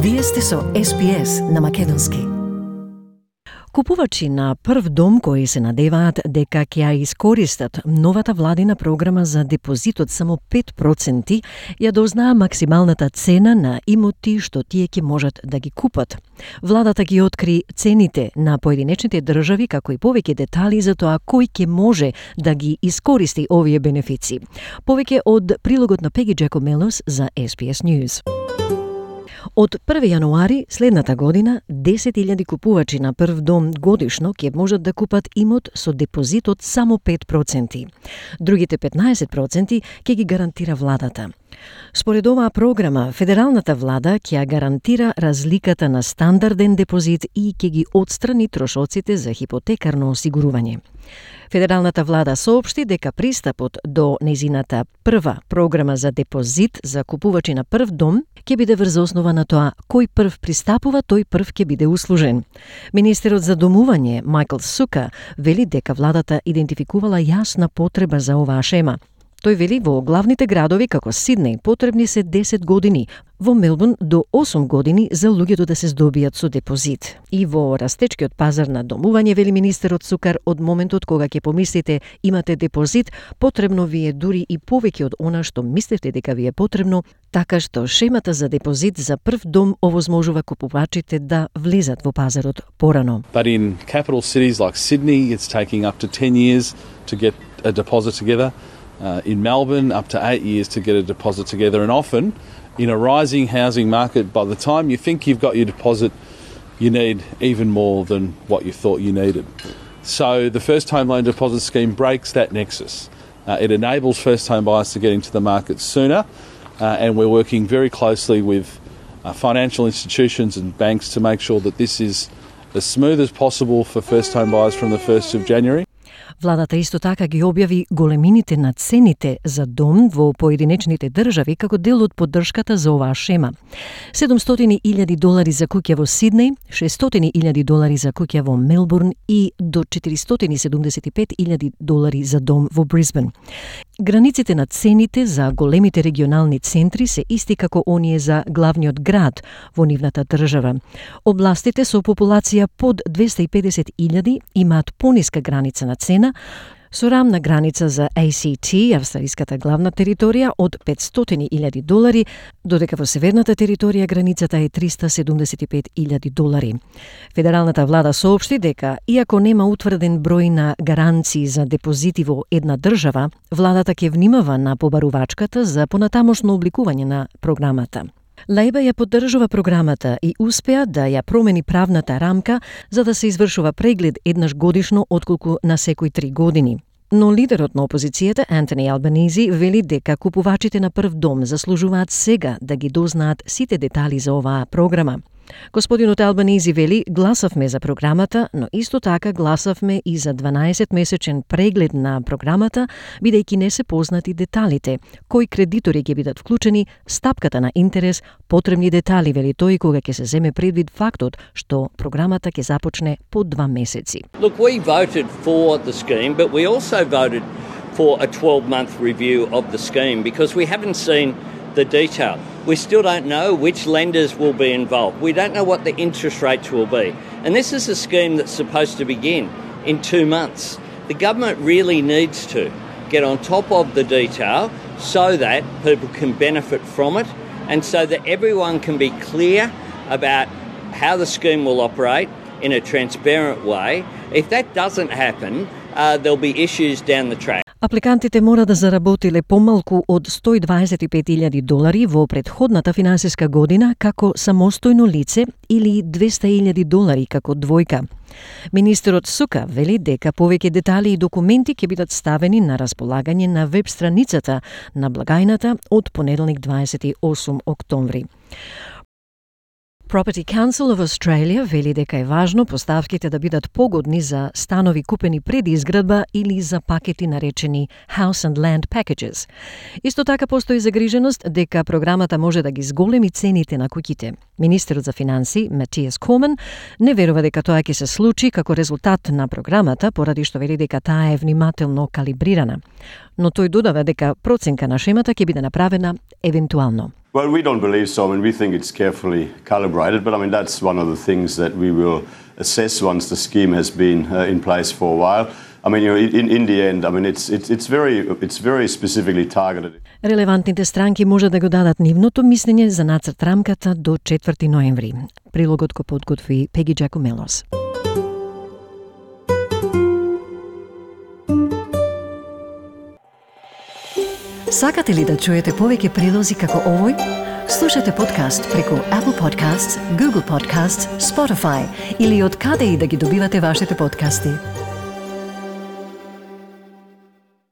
Вие сте со SPS на македонски. Купувачи на прв дом кои се надеваат дека ќе ја искористат новата владина програма за депозит од само 5%, ја дознаа максималната цена на имоти што тие ќе можат да ги купат. Владата ги откри цените на поединечните држави, како и повеќе детали за тоа кој ќе може да ги искористи овие бенефици. Повеќе од прилогот на Пеги Джекомелос за SPS News. Од 1 јануари следната година 10.000 купувачи на прв дом годишно ќе можат да купат имот со депозит од само 5%. Другите 15% ќе ги гарантира владата. Според оваа програма, федералната влада ќе ја гарантира разликата на стандарден депозит и ќе ги отстрани трошоците за хипотекарно осигурување. Федералната влада соопшти дека пристапот до незината прва програма за депозит за купувачи на прв дом ќе биде врз основа на тоа кој прв пристапува, тој прв ќе биде услужен. Министерот за домување Майкл Сука вели дека владата идентификувала јасна потреба за оваа шема. Тој вели во главните градови како Сиднеј потребни се 10 години, во Мелбурн до 8 години за луѓето да се здобијат со депозит. И во растечкиот пазар на домување, вели министерот Сукар, од моментот кога ќе помислите имате депозит, потребно ви е дури и повеќе од она што мислевте дека ви е потребно, така што шемата за депозит за прв дом овозможува купувачите да влезат во пазарот порано. But in capital cities like Sydney, it's taking up to 10 years to get a deposit together. In Melbourne, up to 8 years to get a deposit together, and often in a rising housing market, by the time you think you've got your deposit, you need even more than what you thought you needed. So the First Home Loan Deposit Scheme breaks that nexus. It enables first home buyers to get into the market sooner, and we're working very closely with financial institutions and banks to make sure that this is as smooth as possible for first home buyers from the 1st of January. Владата исто така ги објави големините на цените за дом во поединечните држави како дел од поддршката за оваа шема. $700,000 за куќа во Сиднеј, $600,000 за куќа во Мелбурн и до $475,000 за дом во Брисбен. Границите на цените за големите регионални центри се исти како оние за главниот град во нивната држава. Областите со популација под 250,000 имаат пониска граница на цена, со рамна граница за ACT, австралиската главна територија, од $500,000, додека во северната територија границата е $375,000. Федералната влада соопшти дека, иако нема утврден број на гаранции за депозити во една држава, владата ќе внимава на побарувачката за понатамошно обликување на програмата. Лејба ја поддржува програмата и успеа да ја промени правната рамка за да се извршува преглед еднаш годишно отколку на секои 3 години. Но лидерот на опозицијата, Антони Албанизи, вели дека купувачите на прв дом заслужуваат сега да ги дознаат сите детали за оваа програма. Господинот Албанизи вели, гласавме за програмата, но исто така гласавме и за 12-месечен преглед на програмата, бидејќи не се познати деталите, кои кредитори ќе бидат вклучени, стапката на интерес, потребни детали, вели тој, кога ќе се земе предвид фактот што програмата ќе започне по 2 месеци. Look, we voted for the scheme, but we also voted for a 12-month review of the scheme because we haven't seen the detail. We still don't know which lenders will be involved. We don't know what the interest rates will be. And this is a scheme that's supposed to begin in 2 months. The government really needs to get on top of the detail so that people can benefit from it and so that everyone can be clear about how the scheme will operate in a transparent way. If that doesn't happen, there'll be issues down the track. Апликантите мора да заработиле помалку од $125,000 во претходната финансиска година како самостојно лице или $200,000 како двојка. Министерот Сука вели дека повеќе детали и документи ќе бидат ставени на располагање на веб страницата на благајната од понеделник 28 октомври. Property Council of Australia вели дека е важно поставките да бидат погодни за станови купени пред изградба или за пакети наречени House and Land Packages. Исто така постои загриженост дека програмата може да ги зголеми цените на куќите. Министерот за финансии Матиас Коман не верува дека тоа ќе се случи како резултат на програмата, поради што вели дека таа е внимателно калибрирана. Но тој додава дека проценка на шемата ќе биде направена евентуално. Well, we don't believe so. I mean, we think it's carefully calibrated, but I mean, that's one of the things that we will assess once the scheme has been in place for a while. I mean, in the end, I mean, it's very specifically targeted. Релевантните странки може да го дадат нивното мислење за нацрт рамката до 4 ноември. Прилогот го подготви Пеги Джакомелос. Сакате ли да чуете повеќе прилози како овој? Слушате подкаст преку Apple Podcasts, Google Podcasts, Spotify или од каде и да ги добивате вашите подкасти.